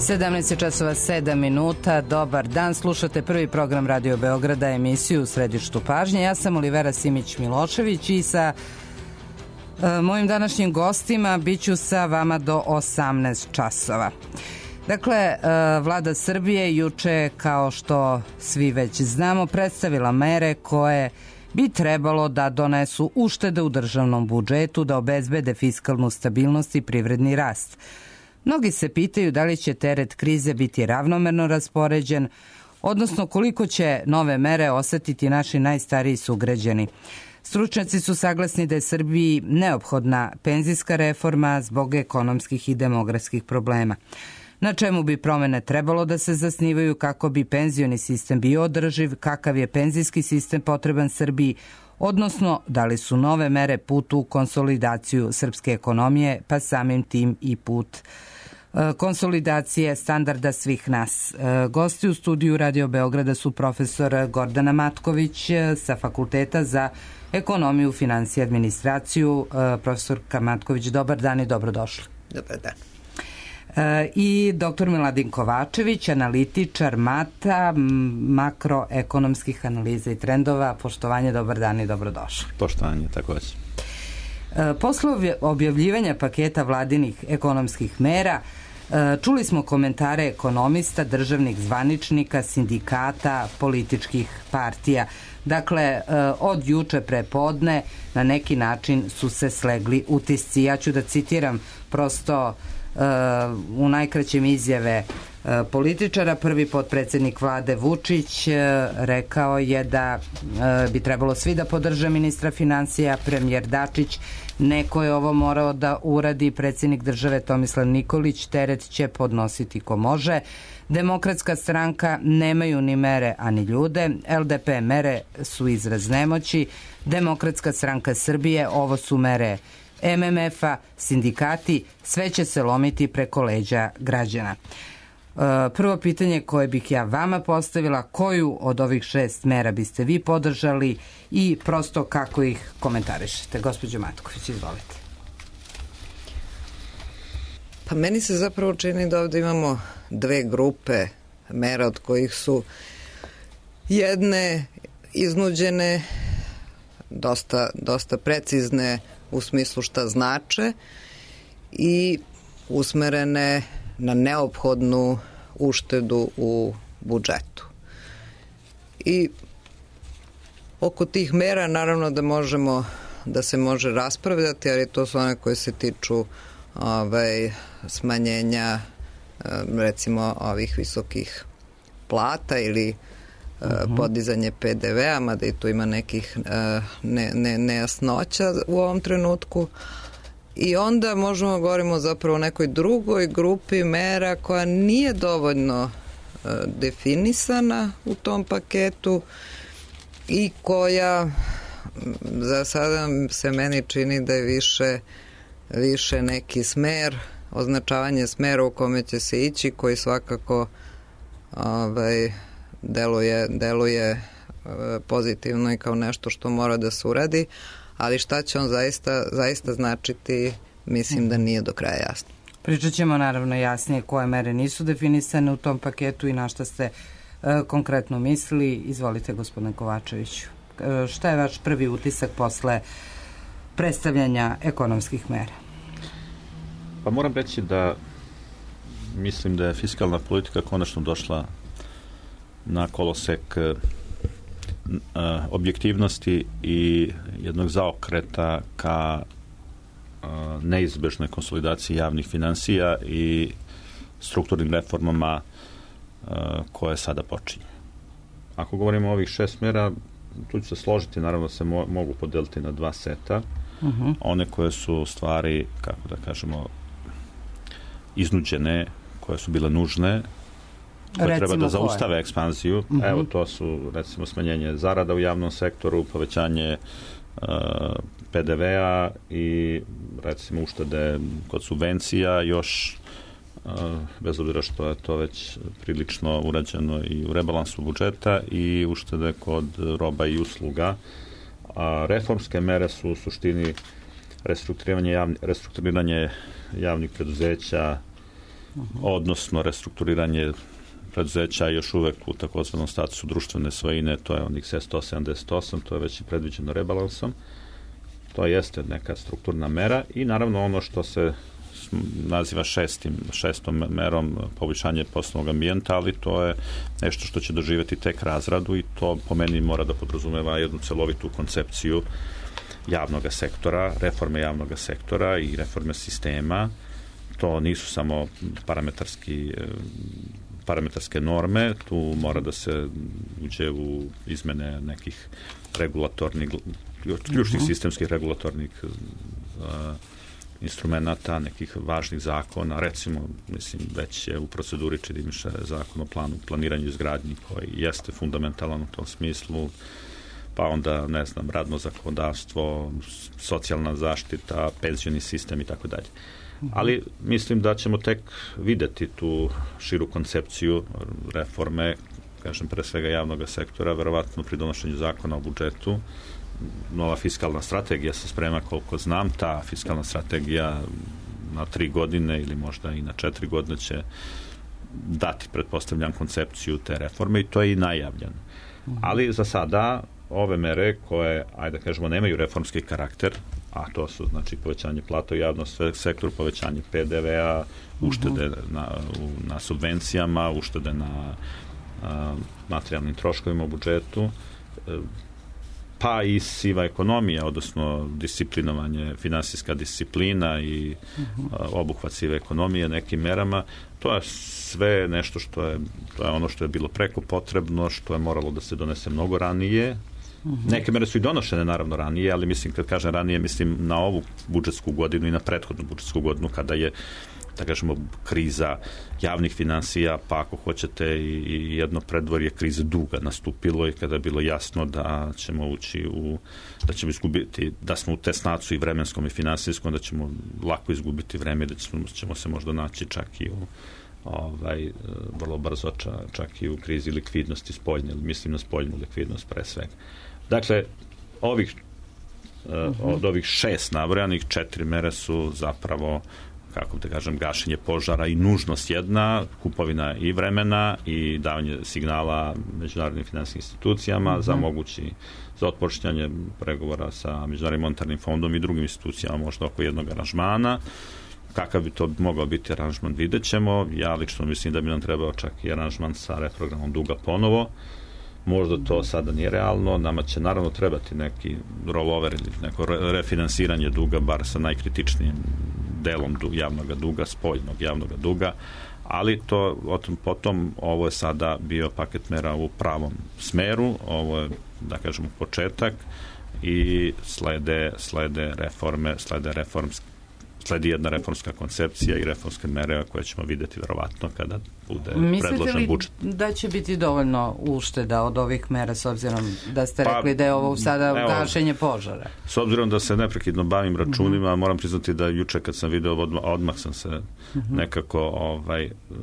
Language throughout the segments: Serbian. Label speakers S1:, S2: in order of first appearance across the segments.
S1: 17 časova 7 minuta. Dobar dan, slušate prvi program Radio Beograda, emisiju u središtu pažnje. Ja sam Olivera Simić-Milošević i sa mojim današnjim gostima biću sa vama do 18 časova. Dakle, vlada Srbije juče, kao što svi već znamo, predstavila mere koje bi trebalo da donesu uštede u državnom budžetu, da obezbede fiskalnu stabilnost i privredni rast. Mnogi se pitaju da li će teret krize biti ravnomerno raspoređen, odnosno koliko će nove mere osetiti naši najstariji sugrađani. Stručnjaci su saglasni da je Srbiji neophodna penzijska reforma zbog ekonomskih i demografskih problema. Na čemu bi promene trebalo da se zasnivaju kako bi penzioni sistem bio održiv, kakav je penzijski sistem potreban Srbiji, odnosno da li su nove mere put u konsolidaciju srpske ekonomije, pa samim tim i put konsolidacije standarda svih nas. Gosti u studiju Radio Beograda su profesor Gordana Matković sa Fakulteta za ekonomiju, finansije i administraciju. Profesorka Matković, dobar dan i dobrodošli.
S2: Dobar dan.
S1: I dr. Miladin Kovačević, analitičar MATA, makroekonomskih analiza i trendova. Poštovanje, dobar dan i dobrodošli.
S3: Poštovanje, takođe.
S1: Posle objavljivanja paketa vladinih ekonomskih mera, čuli smo komentare ekonomista, državnih zvaničnika, sindikata, političkih partija. Dakle, od juče prepodne na neki način su se slegli utisci. Ja ću da citiram prosto u najkraćem izjave političara. Prvi potpredsednik vlade Vučić rekao je da bi trebalo svi da podrže ministra finansija, premijer Dačić, neko je ovo morao da uradi, predsjednik države Tomislav Nikolić, teret će podnositi ko može. Demokratska stranka nemaju ni mere, ani ljude. LDP mere su izraz nemoći. Demokratska stranka Srbije, ovo su mere MMF-a, sindikati, sve će se lomiti preko leđa građana. Prvo pitanje koje bih ja vama postavila, koju od ovih 6 mera biste vi podržali i prosto kako ih komentarišete? Gospođo Matković, izvolite.
S2: Pa meni se zapravo čini da ovde imamo dve grupe mera, od kojih su jedne iznuđene, dosta precizne u smislu šta znače i usmerene na neophodnu uštedu u budžetu. I oko tih mera naravno da se može raspravljati, ali to su one koje se tiču smanjenja recimo ovih visokih plata ili podizanje PDV-a, mada i tu ima nekih nejasnoća u ovom trenutku. I onda možemo govorimo zapravo o nekoj drugoj grupi mera koja nije dovoljno definisana u tom paketu i koja za sada se meni čini da je više neki smer, označavanje smera u kome će se ići, koji svakako deluje pozitivno i kao nešto što mora da se uradi, ali šta će on zaista značiti, mislim da nije do kraja jasno.
S1: Pričat ćemo naravno jasnije koje mere nisu definisane u tom paketu i na šta ste konkretno mislili. Izvolite, gospodine Kovačeviću. Šta je vaš prvi utisak posle predstavljanja ekonomskih mera?
S3: Pa moram reći da mislim da je fiskalna politika konačno došla na kolosek objektivnosti i jednog zaokreta ka neizbežnoj konsolidaciji javnih finansija i strukturnim reformama koje sada počinje. Ako govorimo o ovih 6 mera, tu ću se složiti, naravno se mogu podeliti na 2 seta. One koje su stvari, kako da kažemo, iznuđene, koje su bile nužne, koje treba da zaustave ekspanziju. Evo, to su recimo smanjenje zarada u javnom sektoru, povećanje PDV-a i recimo uštede kod subvencija, još bez obzira što je to već prilično urađeno i u rebalansu budžeta, i uštede kod roba i usluga. Reformske mere su u suštini restrukturiranje javnih preduzeća, odnosno restrukturiranje preduzeća još uvek u takozvanom statusu društvene svojine, to je onih 178, to je već i predviđeno rebalansom. To jeste neka strukturna mera i naravno ono što se naziva šestom merom poboljšanje poslovnog ambijenta, ali to je nešto što će doživjeti tek razradu i to po meni mora da podrazumeva jednu celovitu koncepciju javnog sektora, reforme javnog sektora i reforme sistema. To nisu samo parametarske norme, tu mora da se uđe u izmene nekih regulatornih, ključnih sistemskih regulatornih instrumenta, nekih važnih zakona, recimo, mislim, već je u proceduri čini mi se zakon o planiranju i izgradnji koji jeste fundamentalan u tom smislu, pa onda, ne znam, radno zakonodavstvo, socijalna zaštita, penzioni sistem i tako dalje. Ali mislim da ćemo tek videti tu širu koncepciju reforme, kažem, pre svega javnog sektora, verovatno pri donošenju zakona o budžetu. Nova fiskalna strategija se sprema, koliko znam, ta fiskalna strategija na 3 godine ili možda i na 4 godine će dati, pretpostavljam, koncepciju te reforme i to je i najavljeno. Ali za sada ove mere koje, ajde da kažemo, nemaju reformski karakter, a to su, znači, povećanje plata u javnom sektoru, povećanje PDV-a, uštede na subvencijama, uštede na materijalnim troškovima u budžetu, pa i siva ekonomija, odnosno disciplinovanje, finansijska disciplina i obuhvat sive ekonomije nekim merama. To je sve nešto to je ono što je bilo preko potrebno, što je moralo da se donese mnogo ranije. Neke mere su i donošene naravno ranije, ali mislim, kad kažem ranije, mislim na ovu budžetsku godinu i na prethodnu budžetsku godinu, kada je, da kažemo, kriza javnih finansija, pa ako hoćete i jedno predvorje krize duga nastupilo i kada je bilo jasno da ćemo ući da ćemo izgubiti, da smo u tesnacu i vremenskom i finansijskom, da ćemo lako izgubiti vreme, da ćemo se možda naći čak i u vrlo brzo čak i u krizi likvidnosti spoljne, mislim na spoljnu likvidnost pre svega. Dakle, od ovih 6 nabrojanih, 4 mere su zapravo, kako da kažem, gašenje požara i nužnost jedna, kupovina i vremena i davanje signala međunarodnim finansijskim institucijama za otpočinjanje pregovora sa Međunarodnim monetarnim fondom i drugim institucijama, možda oko jednog aranžmana. Kakav bi to mogao biti aranžman, vidjet ćemo. Ja lično mislim da bi nam trebao čak i aranžman sa reprogramom duga ponovo. Možda to sada nije realno. Nama će naravno trebati neki rollover ili neko refinansiranje duga, bar sa najkritičnijim delom javnog duga, spoljnog javnog duga, ali to potom ovo je sada bio paket mera u pravom smeru, ovo je, da kažemo, početak i slede reforme, sledi jedna reformska koncepcija i reformske mere koje ćemo vidjeti verovatno kada bude predložen budžet.
S1: Mislite li da će biti dovoljno ušteda od ovih mera, s obzirom da ste rekli da je ovo sada gašenje požara?
S3: S obzirom da se neprekidno bavim računima, moram priznati da juče kad sam video odmah sam se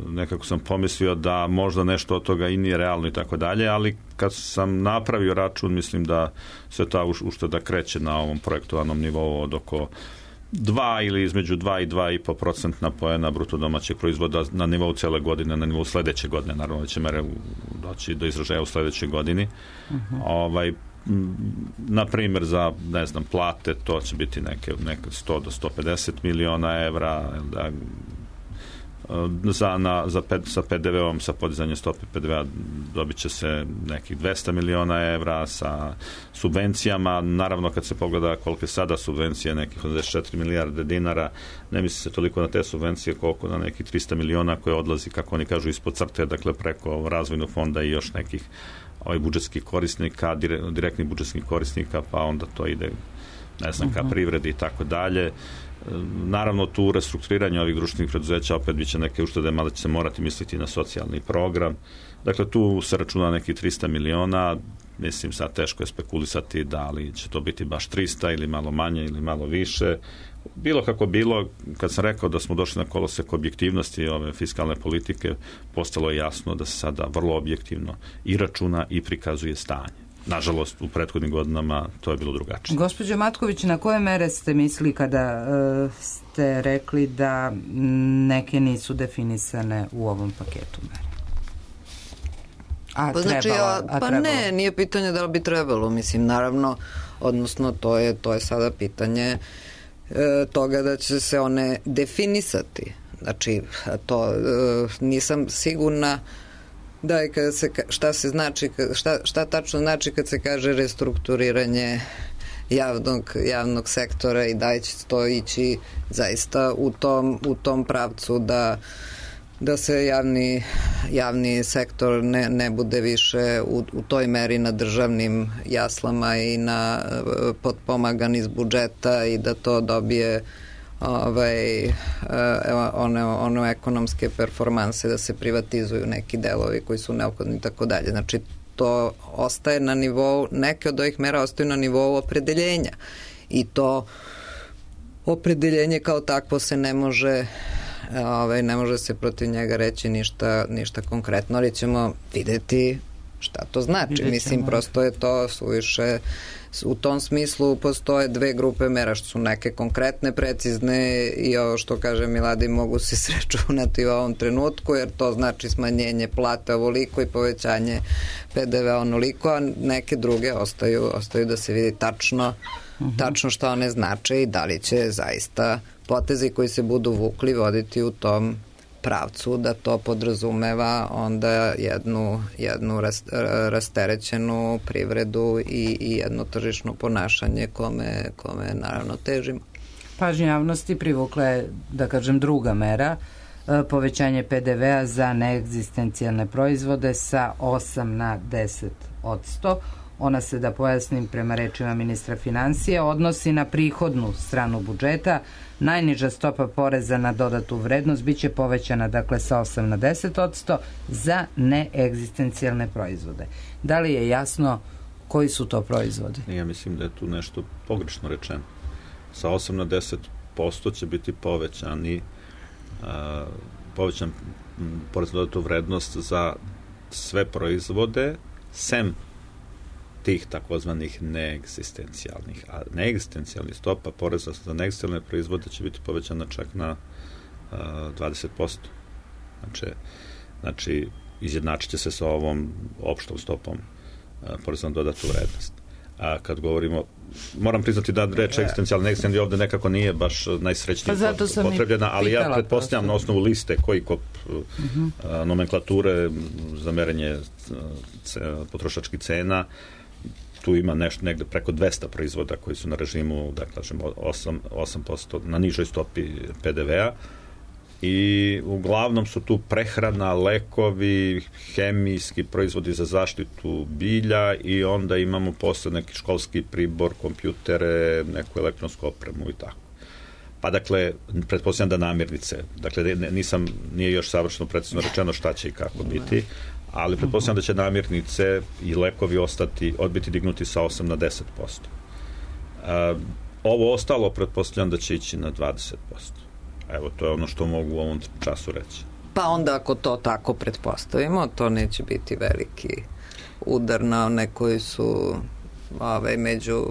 S3: nekako sam pomislio da možda nešto od toga i nije realno i tako dalje, ali kad sam napravio račun, mislim da se ta ušteda kreće na ovom projektovanom nivou od oko 2 ili između 2 i 2,5% poena bruto domaćeg proizvoda na nivou cele godine, na nivou sledeće godine, naravno da će mere doći do izražaja u sledećoj godini. Na primjer za, ne znam, plate, to će biti neke 100 do 150 miliona evra, sa PDV-om, sa podizanjem stope PDV-a dobit će se nekih 200 miliona evra, sa subvencijama, naravno kad se pogleda koliko je sada subvencije, nekih 84 milijarde dinara, ne misli se toliko na te subvencije koliko na nekih 300 miliona koje odlazi, kako oni kažu, ispod crte, dakle preko razvojnog fonda i još nekih budžetskih korisnika, direktnih budžetskih korisnika, pa onda to ide, ne znam, ka privredi i tako dalje. Naravno, tu u restrukturiranju ovih društvenih preduzeća opet biće neke uštede, mada će se morati misliti na socijalni program. Dakle, tu se računa nekih 300 miliona, mislim, sad teško je spekulisati da li će to biti baš 300 ili malo manje ili malo više. Bilo kako bilo, kad sam rekao da smo došli na kolosek objektivnosti ove fiskalne politike, postalo je jasno da se sada vrlo objektivno i računa i prikazuje stanje. Nažalost, u prethodnim godinama to je bilo drugačije.
S1: Gospođo Matković, na koje mere ste mislili kada ste rekli da neke nisu definisane u ovom paketu mere?
S2: Ne, nije pitanje da li bi trebalo, mislim, naravno, odnosno to je sada pitanje toga da će se one definisati. Znači, to nisam sigurna da je kada se, šta tačno znači kad se kaže restrukturiranje javnog sektora i da će to ići zaista u tom pravcu da se javni sektor ne bude više u toj meri na državnim jaslama i na potpomagan iz budžeta i da to dobije one ekonomske performanse, da se privatizuju neki delovi koji su neophodni i tako dalje. Znači, to ostaje na nivou, neke od ovih mera ostaju na nivou opredeljenja i to opredeljenje kao takvo se ne može se protiv njega reći ništa konkretno, ali ćemo videti šta to znači. Mislim, prosto je to suviše. U tom smislu postoje dve grupe mera, što su neke konkretne, precizne i ovo što kaže Miladi mogu se sračunati u ovom trenutku, jer to znači smanjenje plate ovoliko i povećanje PDV onoliko, a neke druge ostaju da se vidi tačno šta one znače i da li će zaista potezi koji se budu vukli voditi u tom pravcu, da to podrazumeva onda jednu rasterećenu privredu i jedno tržišno ponašanje kome naravno težimo.
S1: Pažnju javnosti privukla je, da kažem, druga mera, povećanje PDV-a za neegzistencijalne proizvode sa 8 na 10%. Ona se, da pojasnim prema rečima ministra finansija, odnosi na prihodnu stranu budžeta. Najniža stopa poreza na dodatu vrednost biće povećana, dakle, sa 8 na 10% za neegzistencijalne proizvode. Da li je jasno koji su to proizvodi?
S3: Ja mislim da je tu nešto pogrešno rečeno. Sa 8 na 10% će biti povećan porez na dodatu vrednost za sve proizvode, sem tih takozvanih neegzistencijalnih. A neegzistencijalni stopa poreza za neegzistencijalne proizvode će biti povećana čak na 20%. Znači, izjednačit će se sa ovom opštom stopom poreza na dodatu vrednost. A kad govorimo, moram priznati da reč egzistencijalni, neegzistencijalni ovde nekako nije baš najsrećnije potrebljena, ali ja pretpostavljam na osnovu liste nomenklature za merenje potrošačkih cena, tu ima nešto negde preko 200 proizvoda koji su na režimu, da kažem, 8% na nižoj stopi PDV-a i uglavnom su tu prehrana, lekovi, hemijski proizvodi za zaštitu bilja i onda imamo posle neki školski pribor, kompjutere, neku elektronsku opremu i tako. Pa dakle, pretpostavljam da namirnice, dakle nije još savršeno precizno rečeno šta će i kako biti, ali pretpostavljam da će namirnice i lekovi odbiti dignuti sa 8 na 10%. Ovo ostalo pretpostavljam da će ići na 20%. Evo, to je ono što mogu u ovom času reći.
S2: Pa onda ako to tako pretpostavimo, to neće biti veliki udar na one koji su među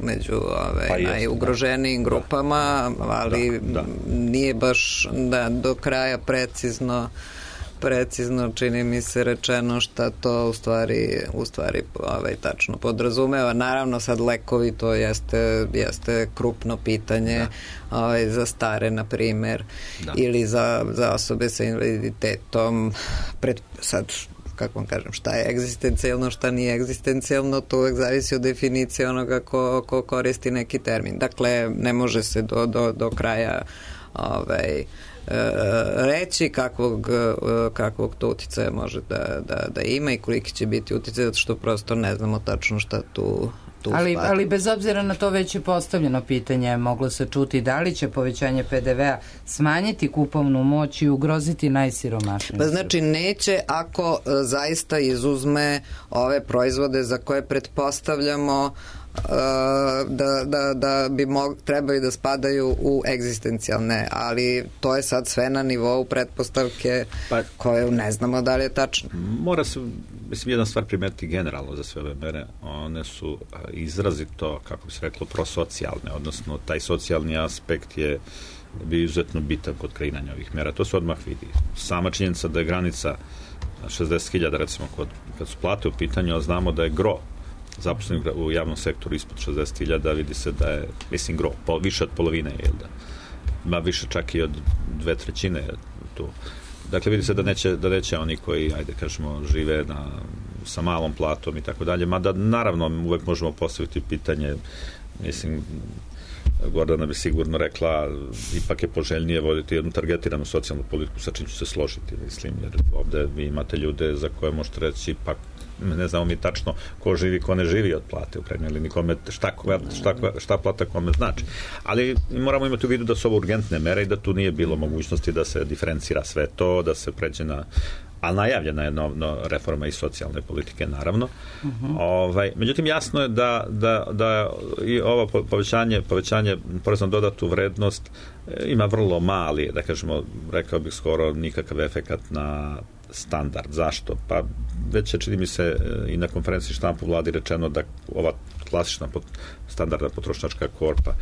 S2: najugroženijim grupama, ali nije baš do kraja precizno čini mi se rečeno šta to u stvari tačno podrazumeva. Naravno sad lekovi to jeste krupno pitanje za stare na primer ili za osobe sa invaliditetom. Sad kako vam kažem, šta je egzistencijalno, šta nije egzistencijalno, to uvek zavisi od definicije onoga ko koristi neki termin. Dakle, ne može se do kraja reći kakvog to uticaja može da ima i koliki će biti uticaj, zato što prosto ne znamo tačno šta tu
S1: ali bez obzira na to već je postavljeno pitanje, moglo se čuti da li će povećanje PDV-a smanjiti kupovnu moć i ugroziti najsiromašnije.
S2: Pa znači neće ako zaista izuzme ove proizvode za koje pretpostavljamo da bi trebali da spadaju u egzistencijalne, ali to je sad sve na nivou pretpostavke koje ne znamo da li je tačno.
S3: Mora se, mislim, jedna stvar primetiti generalno za sve ove mere, one su izrazito, kako bi se reklo, prosocijalne, odnosno taj socijalni aspekt je bio izuzetno bitan kod kreiranja ovih mera. To se odmah vidi. Sama činjenica da je granica 60.000, recimo, kad su plate u pitanju, a znamo da je gro zaposlenih u javnom sektoru ispod 60.000, vidi se da je, mislim, gro, više od polovine, jel da? Ma više čak i od 2/3 tu. Dakle, vidi se da neće oni koji, ajde kažemo, žive sa malom platom i tako dalje, mada naravno uvek možemo postaviti pitanje, mislim, Gordana bi sigurno rekla, ipak je poželjnije voditi jednu targetiranu socijalnu politiku, sa čim ću se složiti, mislim, jer ovde vi imate ljude za koje možete reći, pa ne znamo mi tačno ko živi, ko ne živi od plate u krajnjoj liniji, kome šta plata kome znači. Ali moramo imati u vidu da su ovo urgentne mere i da tu nije bilo mogućnosti da se diferencira sve to, da se pređe a najavljena je reforma i socijalne politike, naravno. Međutim, jasno je da i ovo povećanje poreza na dodatu vrednost ima vrlo mali, da kažemo, rekao bih skoro nikakav efekat na standard. Zašto? Pa već je, čini mi se, i na konferenciji štampu vladi rečeno da ova klasična standardna potrošačka korpa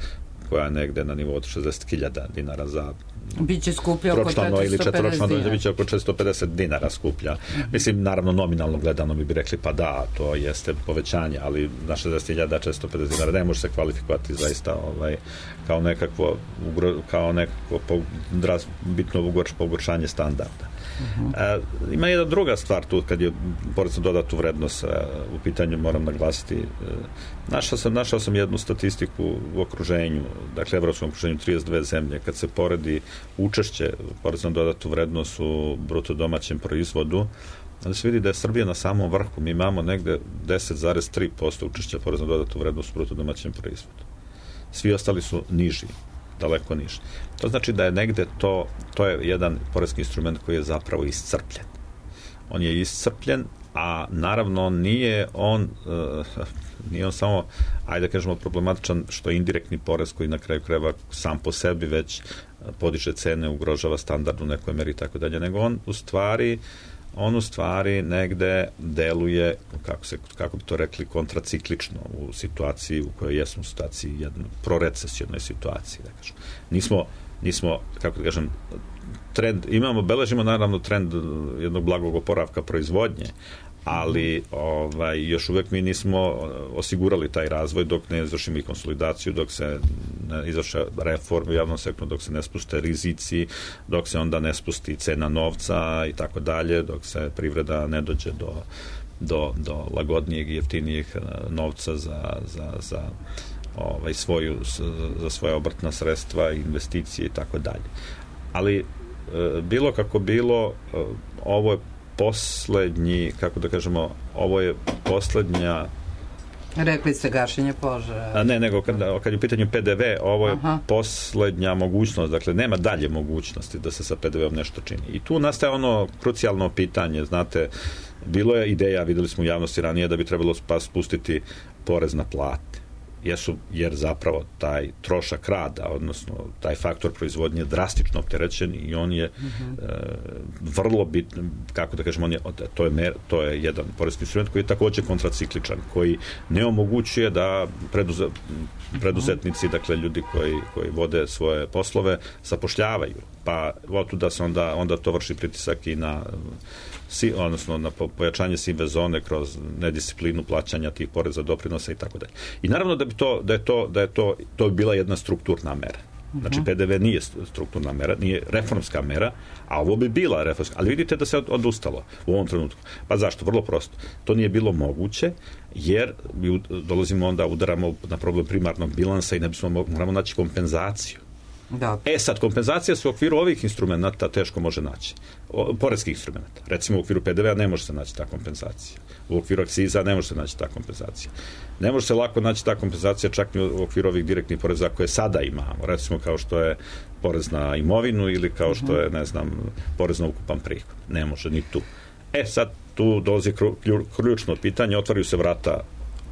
S3: koja je negde na nivou od 60.000 dinara za
S1: biće skuplja oko 450 dinara.
S3: Biće oko 450 dinara skuplja. Mislim, naravno, nominalno gledano bi rekli, pa da, to jeste povećanje, ali na 60.000 450 dinara ne može se kvalifikovati zaista kao nekakvo bitno pogoršanje standarda. Ima jedna druga stvar tu, kad je porez na dodatu vrednost u pitanju, moram naglasiti. Našao sam jednu statistiku u okruženju, dakle, evropskom okruženju 32 zemlje, kad se poredi učešće poreza na dodatu vrednost u bruto domaćem proizvodu, onda se vidi da je Srbija na samom vrhu. Mi imamo negde 10,3% učešća poreza na dodatu vrednost u bruto domaćem proizvodu. Svi ostali su niži, daleko niži. To znači da je negde to je jedan porezki instrument koji je zapravo iscrpljen. On je iscrpljen, a naravno nije on samo, ajde da kažemo, problematičan što je indirektni porez koji na kraju krajeva sam po sebi već podiže cene, ugrožava standard u nekoj meri i tako dalje, nego on u stvari negde deluje, kako bi to rekli, kontraciklično u situaciji u kojoj jesmo u situaciji, jednoj prorecesijnoj situaciji, da kažem. Nismo, kako da kažem, beležimo naravno trend jednog blagog oporavka proizvodnje, ali još uvek mi nismo osigurali taj razvoj dok ne izvršimo i konsolidaciju, dok se ne izvrše reforme u javnom sektoru, dok se ne spuste rizici, dok se onda ne spusti cena novca i tako dalje, dok se privreda ne dođe do lagodnijeg i jeftinijeg novca za svoje obrtna sredstva, investicije i tako dalje. Ali bilo kako bilo, ovo je poslednji, kako da kažemo, ovo je poslednja...
S1: Rekli ste gašenje požara.
S3: Ne, nego kad je u pitanju PDV, ovo je poslednja mogućnost, dakle, nema dalje mogućnosti da se sa PDV-om nešto čini. I tu nastaje ono krucijalno pitanje, znate, bilo je ideja, videli smo u javnosti ranije, da bi trebalo spustiti porez na plate. Jer zapravo taj trošak rada, odnosno taj faktor proizvodnje je drastično opterećen i on je vrlo bitan, kako da kažemo, to je jedan porezki instrument koji je takođe kontracikličan, koji ne omogućuje da preduzetnici, dakle ljudi koji vode svoje poslove, zapošljavaju. Pa otuda se onda to vrši pritisak i na pojačanje sive zone kroz nedisciplinu plaćanja tih poreza, doprinosa i tako dalje. I naravno da je to bila jedna strukturna mera. Znači, PDV nije strukturna mera, nije reformska mera, a ovo bi bila reformska. Ali vidite da se odustalo u ovom trenutku. Pa zašto? Vrlo prosto. To nije bilo moguće, jer udaramo na problem primarnog bilansa i moramo naći kompenzaciju.
S1: Da.
S3: Sad, kompenzacija se u okviru ovih instrumenta teško može naći. Poreskih instrumenta. Recimo, u okviru PDV-a ne može se naći ta kompenzacija. U okviru akciza ne može se naći ta kompenzacija. Ne može se lako naći ta kompenzacija čak i u okviru ovih direktnih poreza koje sada imamo. Recimo, kao što je porez na imovinu ili kao što je, porez na ukupan prihod. Ne može ni tu. Sad, tu dolazi ključno pitanje, otvaraju se vrata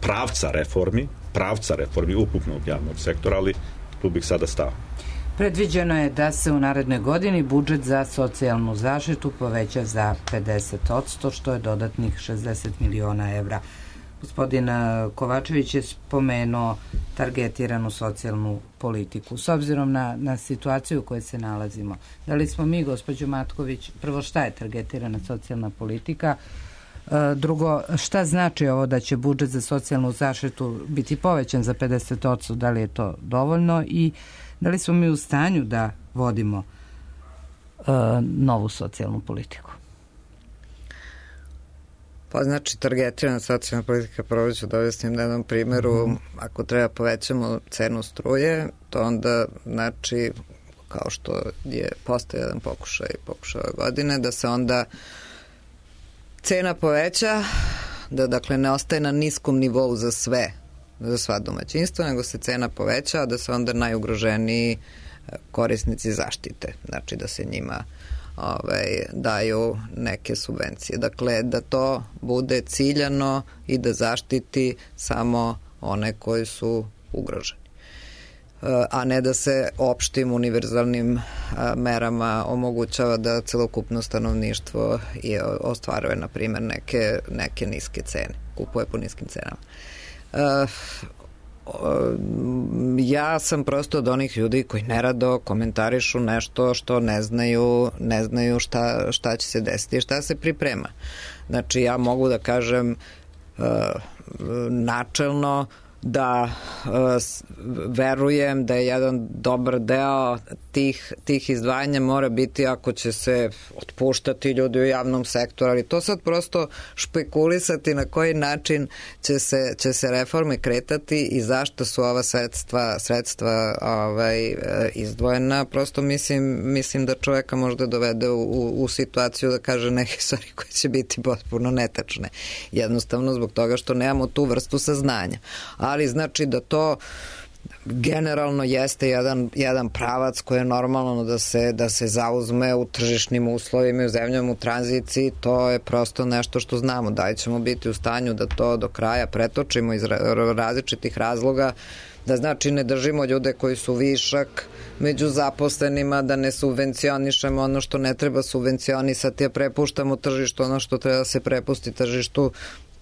S3: pravca reformi ukupnog javnog sektora, ali tu bih sada stao.
S1: Predviđeno je da se u narednoj godini budžet za socijalnu zaštitu poveća za 50%, što je dodatnih 60 miliona evra. Gospodin Kovačević je spomenuo targetiranu socijalnu politiku. S obzirom na situaciju u kojoj se nalazimo, da li smo mi, gospođo Matković, prvo šta je targetirana socijalna politika, drugo, šta znači ovo da će budžet za socijalnu zaštitu biti povećan za 50%, da li je to dovoljno i da li smo mi u stanju da vodimo novu socijalnu politiku?
S2: Pa znači, targetirana socijalna politika, prvo ću da objasnim na jednom primjeru, ako treba povećamo cenu struje, to onda znači, kao što je postao jedan pokušaj ove godine, da se onda cena poveća, da dakle ne ostaje na niskom nivou za sva domaćinstva, nego se cena poveća, a da se onda najugroženiji korisnici zaštite. Znači da se njima daju neke subvencije. Dakle, da to bude ciljano i da zaštiti samo one koji su ugroženi. A ne da se opštim univerzalnim merama omogućava da celokupno stanovništvo ostvaruje, na primjer, neke niske cene, kupuje po niskim cenama. Ja sam prosto od onih ljudi koji nerado komentarišu nešto što ne znaju šta će se desiti i šta se priprema. Znači, ja mogu da kažem načelno da verujem da je jedan dobar deo tih izdvajanja mora biti ako će se otpuštati ljudi u javnom sektoru, ali to sad prosto špekulisati na koji način će se reforme kretati i zašto su ova sredstva izdvojena, prosto mislim da čoveka možda dovede u situaciju da kaže neke stvari koje će biti potpuno netačne. Jednostavno zbog toga što nemamo tu vrstu saznanja. Ali znači da to generalno jeste jedan pravac koji je normalno da se zauzme u tržišnim uslovima i u zemljama u tranziciji, to je prosto nešto što znamo. Da li ćemo biti u stanju da to do kraja pretočimo iz različitih razloga, da znači ne držimo ljude koji su višak među zaposlenima, da ne subvencionišemo ono što ne treba subvencionisati, a prepuštamo tržištu ono što treba da se prepusti tržištu.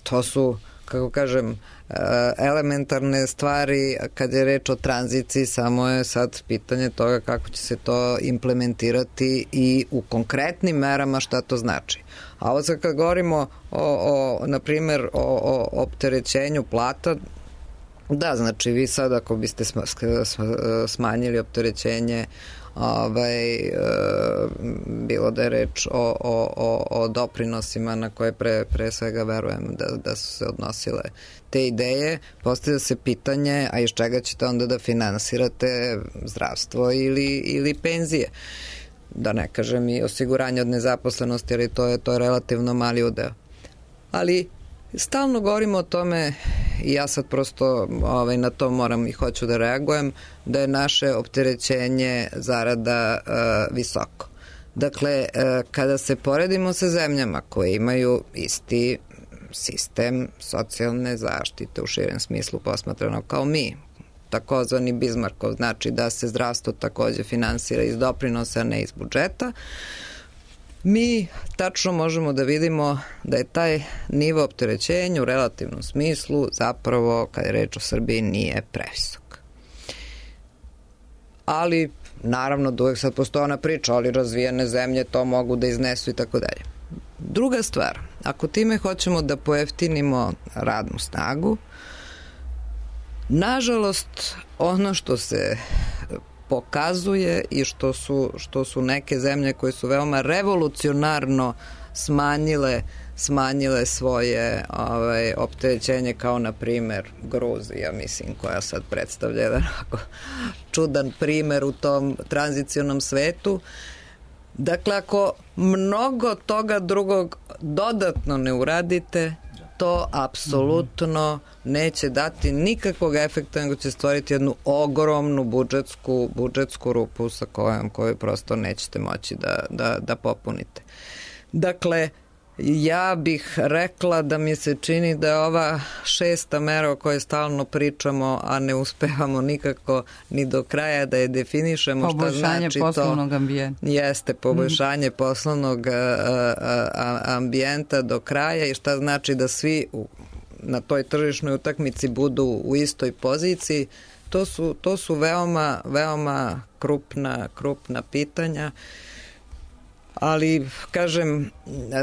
S2: To su, kako kažem, elementarne stvari kad je reč o tranziciji, samo je sad pitanje toga kako će se to implementirati i u konkretnim merama šta to znači. A ovo sad kad govorimo na primjer o opterećenju plata, da, znači vi sad ako biste smanjili opterećenje, bilo da je reč o doprinosima na koje pre svega verujem da su se odnosile te ideje, postavlja se pitanje, a iz čega ćete onda da finansirate zdravstvo ili penzije, da ne kažem i osiguranje od nezaposlenosti, ali to je relativno mali udeo. Ali stalno govorimo o tome i ja sad prosto na to moram i hoću da reagujem, da je naše opterećenje zarada visoko. Dakle, kada se poredimo sa zemljama koje imaju isti sistem socijalne zaštite u širem smislu posmatrano kao mi, takozvani Bizmarkov, znači da se zdravstvo takođe finansira iz doprinosa, a ne iz budžeta, mi tačno možemo da vidimo da je taj nivo opterećenja u relativnom smislu zapravo, kada je reč o Srbiji, nije previsok. Ali, naravno, da uvek sad postoji ona priča, ali razvijene zemlje to mogu da iznesu i tako dalje. Druga stvar, ako time hoćemo da pojeftinimo radnu snagu, nažalost, ono što se pokazuje i što su neke zemlje koje su veoma revolucionarno smanjile svoje opterećenje, kao na primer Gruzija, mislim, koja sad predstavlja jedan čudan primer u tom tranzicionom svetu. Dakle, ako mnogo toga drugog dodatno ne uradite, to apsolutno neće dati nikakvog efekta, nego će stvoriti jednu ogromnu budžetsku rupu sa koju prosto nećete moći da popunite. Dakle, Ja bih rekla da mi se čini da je ova 6. mera o kojoj stalno pričamo, a ne uspevamo nikako ni do kraja da je definišemo šta znači to.
S1: Poboljšanje poslovnog ambijenta.
S2: Jeste, poboljšanje poslovnog ambijenta do kraja i šta znači da svi na toj tržišnoj utakmici budu u istoj poziciji. To su veoma krupna pitanja. Ali, kažem,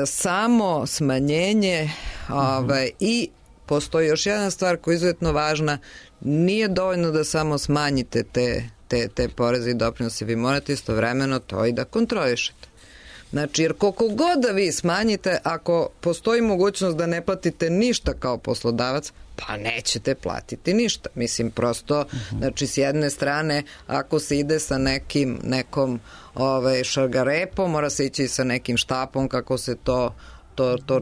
S2: samo smanjenje i postoji još jedna stvar koja je izuzetno važna, nije dovoljno da samo smanjite te poreze i doprinose, vi morate istovremeno to i da kontrolišete. Znači, jer koliko god da vi smanjite, ako postoji mogućnost da ne platite ništa kao poslodavac, pa nećete platiti ništa. Mislim, prosto, znači, s jedne strane, ako se ide sa nekom šargarepom, mora se ići sa nekim štapom, kako se to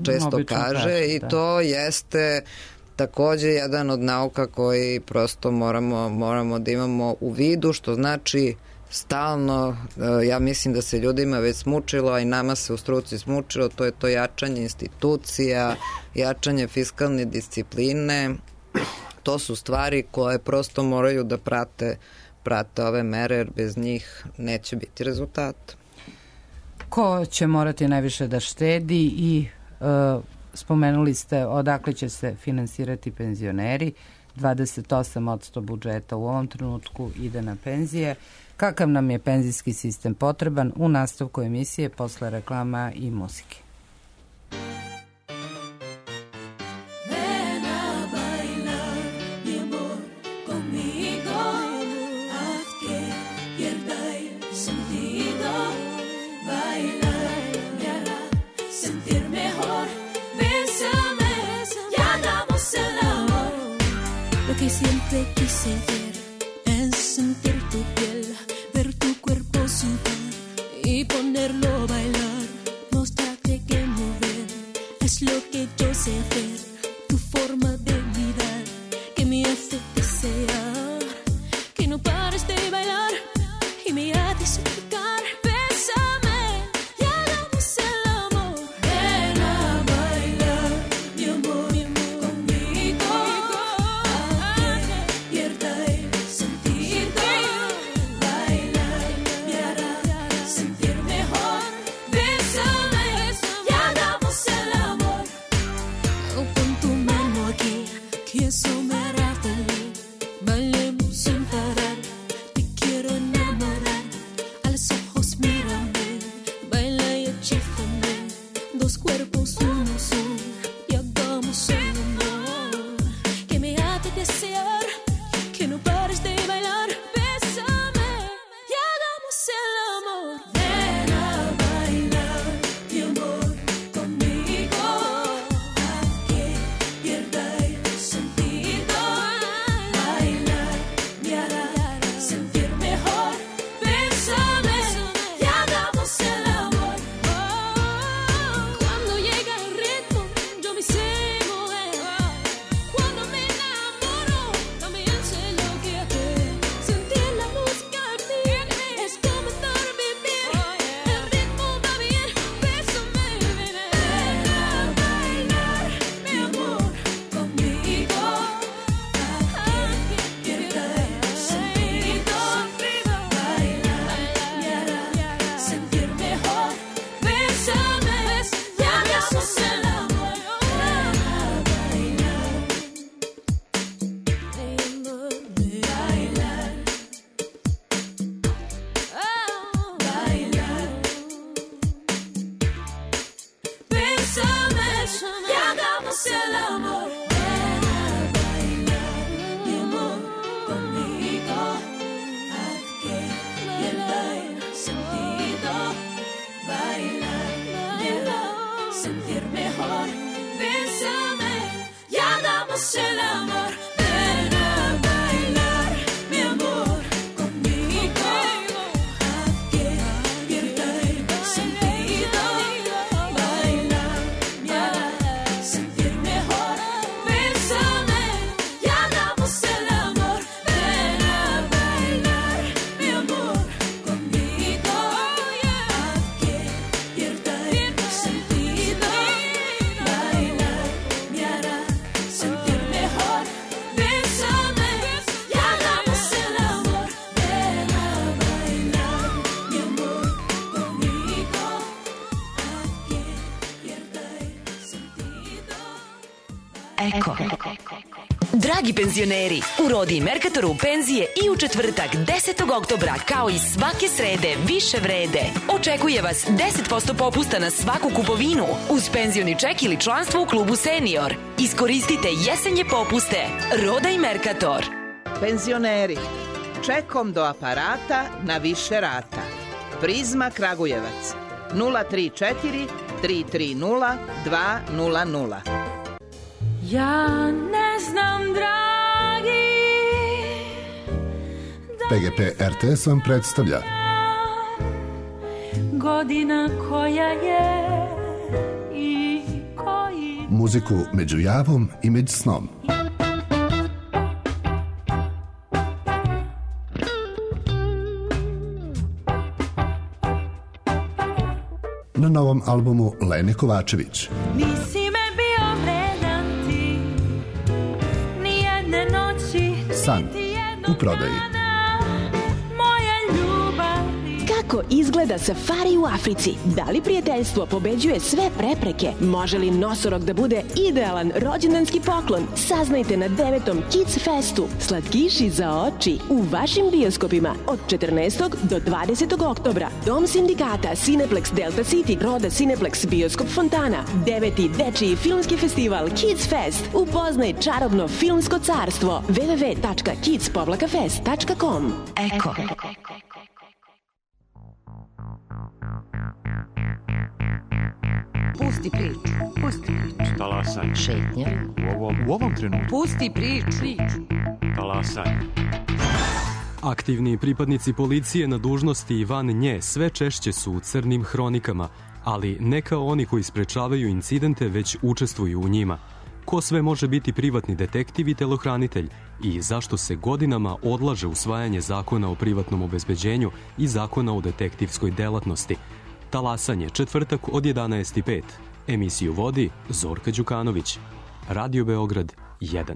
S2: često kaže, i to jeste takođe jedan od nauka koji prosto moramo da imamo u vidu, što znači stalno, ja mislim da se ljudima već smučilo, a i nama se u struci smučilo, to je to jačanje institucija, jačanje fiskalne discipline. To su stvari koje prosto moraju da prate ove mere, jer bez njih neće biti rezultata.
S1: Ko će morati najviše da štedi i spomenuli ste odakle će se finansirati penzioneri, 28% budžeta u ovom trenutku ide na penzije. Kakav nam je penzijski sistem potreban? U nastavku emisije posle reklama i muzike.
S4: Que siempre quise ver es sentir tu piel, ver tu cuerpo sudar y ponerlo a bailar, mostrarte que mover es lo que yo sé hacer, tu forma de mirar que me hace desear que no pares de bailar y me haces suplicar. Bésame y hagamos el amor. Ven a bailar, mi amor, conmigo. Eso me hará feliz, bailemos sin parar, te quiero enamorar, a los ojos me
S5: Eko. Dragi penzioneri, u Rodi i Merkatoru penzije i u četvrtak 10. oktobra kao i svake srede više vrede. Očekuje vas 10% popusta na svaku kupovinu uz penzioni ček ili članstvo u klubu Senior. Iskoristite jesenje popuste. Roda i Merkator.
S6: Penzioneri, čekom do aparata na više rata. Prizma Kragujevac 034 330 200.
S4: Ja ne znam, dragi,
S7: PGP RTS vam predstavlja
S4: godina koja je i koji
S7: muziku među javom i među snom. Na novom albumu Lene Kovačević.
S4: nisi me bio vredan ti, ni jedne noći,
S7: San
S4: niti jednog
S7: u prodaji.
S4: dana moje ljubavi.
S8: Kako izgleda safari u Africi? Da li prijateljstvo pobeđuje sve prepreke? Može li nosorog da bude idealan rođendanski poklon? Saznajte na 9. Kids Festu. Slatkiši za oči u vašim bioskopima od 14. do 20. oktobra. Dom sindikata, Cineplex Delta City, Roda Cineplex Bioskop Fontana. 9. dečiji filmski festival Kids Fest. Upoznaj čarobno filmsko carstvo. www.kids-fest.com.
S5: Eko.
S9: Pusti priču. Pusti priču.
S10: Talasaj.
S9: Šetnja.
S10: U ovom trenutku.
S9: Pusti priču.
S10: Talasaj.
S11: Aktivni pripadnici policije na dužnosti i van nje sve češće su u crnim hronikama, ali ne kao oni koji sprečavaju incidente, već učestvuju u njima. Ko sve može biti privatni detektiv i telohranitelj i zašto se godinama odlaže usvajanje zakona o privatnom obezbeđenju i zakona o detektivskoj delatnosti. Talasanje, četvrtak od 11:05. Emisiju vodi Zorka Đukanović. Radio Beograd 1.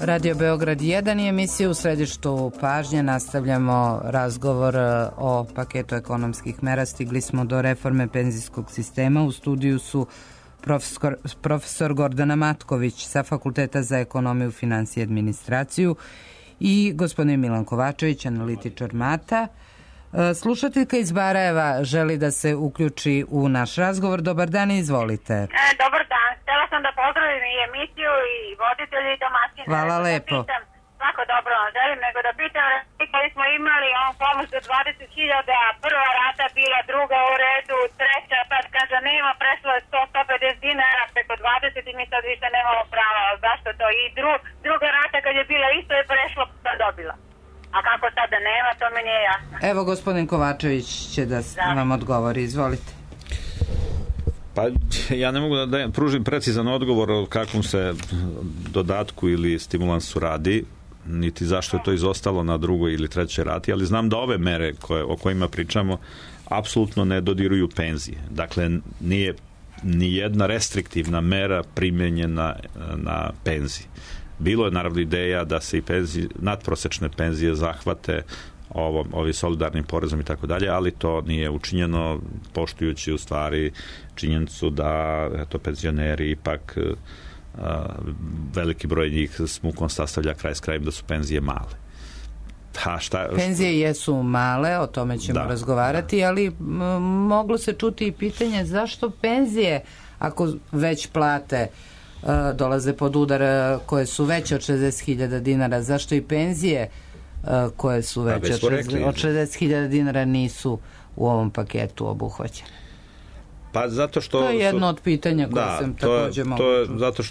S1: Radio Beograd 1 i emisiju u središtu pažnje. Nastavljamo razgovor o paketu ekonomskih mera. Stigli smo do reforme penzijskog sistema. U studiju su profesor Gordana Matković sa Fakulteta za ekonomiju, finansije i administraciju i gospodin Milan Kovačević, analitičar MATA. Slušateljka iz Barajeva želi da se uključi u naš razgovor. Dobar dan, izvolite.
S12: Dobar dan. Htjela sam da pozdravim i emisiju i voditelji i domaćine.
S1: Hvala lepo.
S12: Svako dobro vam želim, nego da pitam koji smo imali on pomoć za 20.000, prva rata bila, druga u redu, treća, sad kaže nema, prešlo je 100-150 dinara preko 20 i mi sad više nemamo prava. Zašto to? I druga rata kad je bila isto je prešlo, pa dobila. A kako sada nema, to mi nije jasno.
S1: Evo, gospodin Kovačević će da vam odgovori. Izvolite.
S3: Pa ja ne mogu da pružim precizan odgovor o kakvom se dodatku ili stimulansu radi, niti zašto je to izostalo na drugoj ili trećoj rati, ali znam da ove mere o kojima pričamo apsolutno ne dodiruju penzije. Dakle, nije ni jedna restriktivna mera primenjena na penzije. Bilo je naravno ideja da se i nadprosečne penzije zahvate ovi solidarnim porezom i tako dalje, ali to nije učinjeno, poštujući u stvari činjenicu da penzioneri ipak veliki broj njih s mukom sastavlja kraj s krajem da su penzije male.
S1: Penzije jesu male, o tome ćemo razgovarati, ali moglo se čuti i pitanje zašto penzije, ako već plate dolaze pod udar koje su veće od 60.000 dinara, zašto i penzije koje su veće od 60.000 dinara nisu u ovom paketu obuhvaćene?
S3: Pa zato što...
S1: To je jedno od pitanja koje sam takođe mogu.
S3: To je zato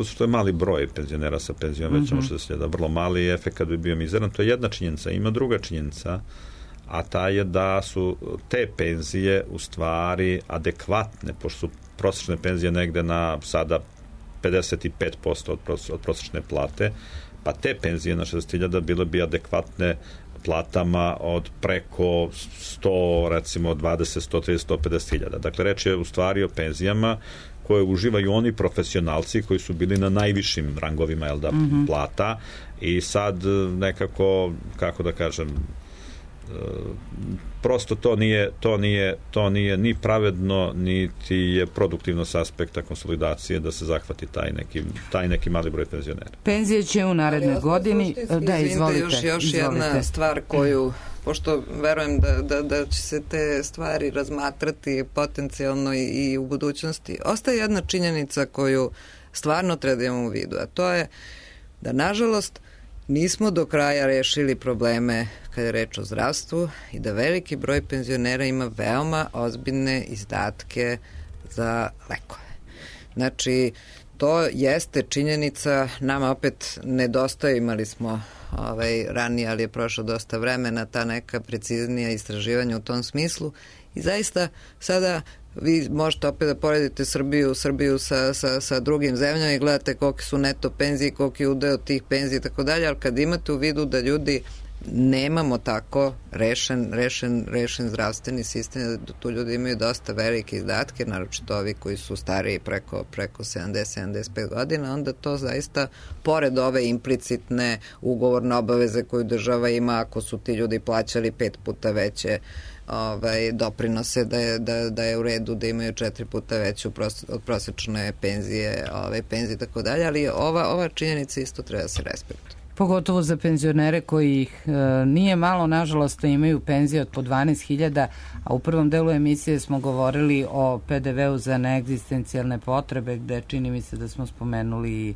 S3: što je mali broj penzionera sa penzijom većom od 60.000, vrlo mali, efekat bi bio mizeran. To je jedna činjenica. Ima druga činjenica, a ta je da su te penzije u stvari adekvatne, pošto su prosječne penzije negde na sada 55% od prosječne plate, pa te penzije na 60.000 bile bi adekvatne platama od preko 100, recimo 20, 130, 150.000. Dakle, reč je u stvari o penzijama koje uživaju oni profesionalci koji su bili na najvišim rangovima plata i sad nekako, kako da kažem, prosto to nije ni pravedno, niti je produktivno s aspekta konsolidacije da se zahvati taj neki mali broj penzionera.
S1: Penzije će u narednoj godini... Da, izvolite.
S2: Još jedna stvar koju, pošto verujem da će se te stvari razmatrati potencijalno i u budućnosti, ostaje jedna činjenica koju stvarno treba da imamo u vidu, a to je da, nažalost, nismo do kraja rešili probleme kada je reč o zdravstvu i da veliki broj penzionera ima veoma ozbiljne izdatke za lekove. Znači, to jeste činjenica, nama opet nedostaje, imali smo ranije, ali je prošlo dosta vremena, ta neka preciznija istraživanja u tom smislu i zaista sada vi možete opet da poredite Srbiju sa drugim zemljama i gledate kolike su neto penzije, koliki je udeo tih penzija i tako dalje, ali kad imate u vidu da ljudi nemamo tako rešen zdravstveni sistem, da tu ljudi imaju dosta velike izdatke, naročito ovi koji su stariji preko 70-75 godina, onda to zaista, pored ove implicitne ugovorne obaveze koju država ima, ako su ti ljudi plaćali 5 puta veće doprinose, da je u redu da imaju 4 puta veću od prosečne penzije i tako dalje, ali ova činjenica isto treba da se respektuje.
S1: Pogotovo za penzionere koji ih nije malo, nažalost, imaju penzije od po 12.000, a u prvom delu emisije smo govorili o PDV-u za neegzistencijalne potrebe, gde čini mi se da smo spomenuli i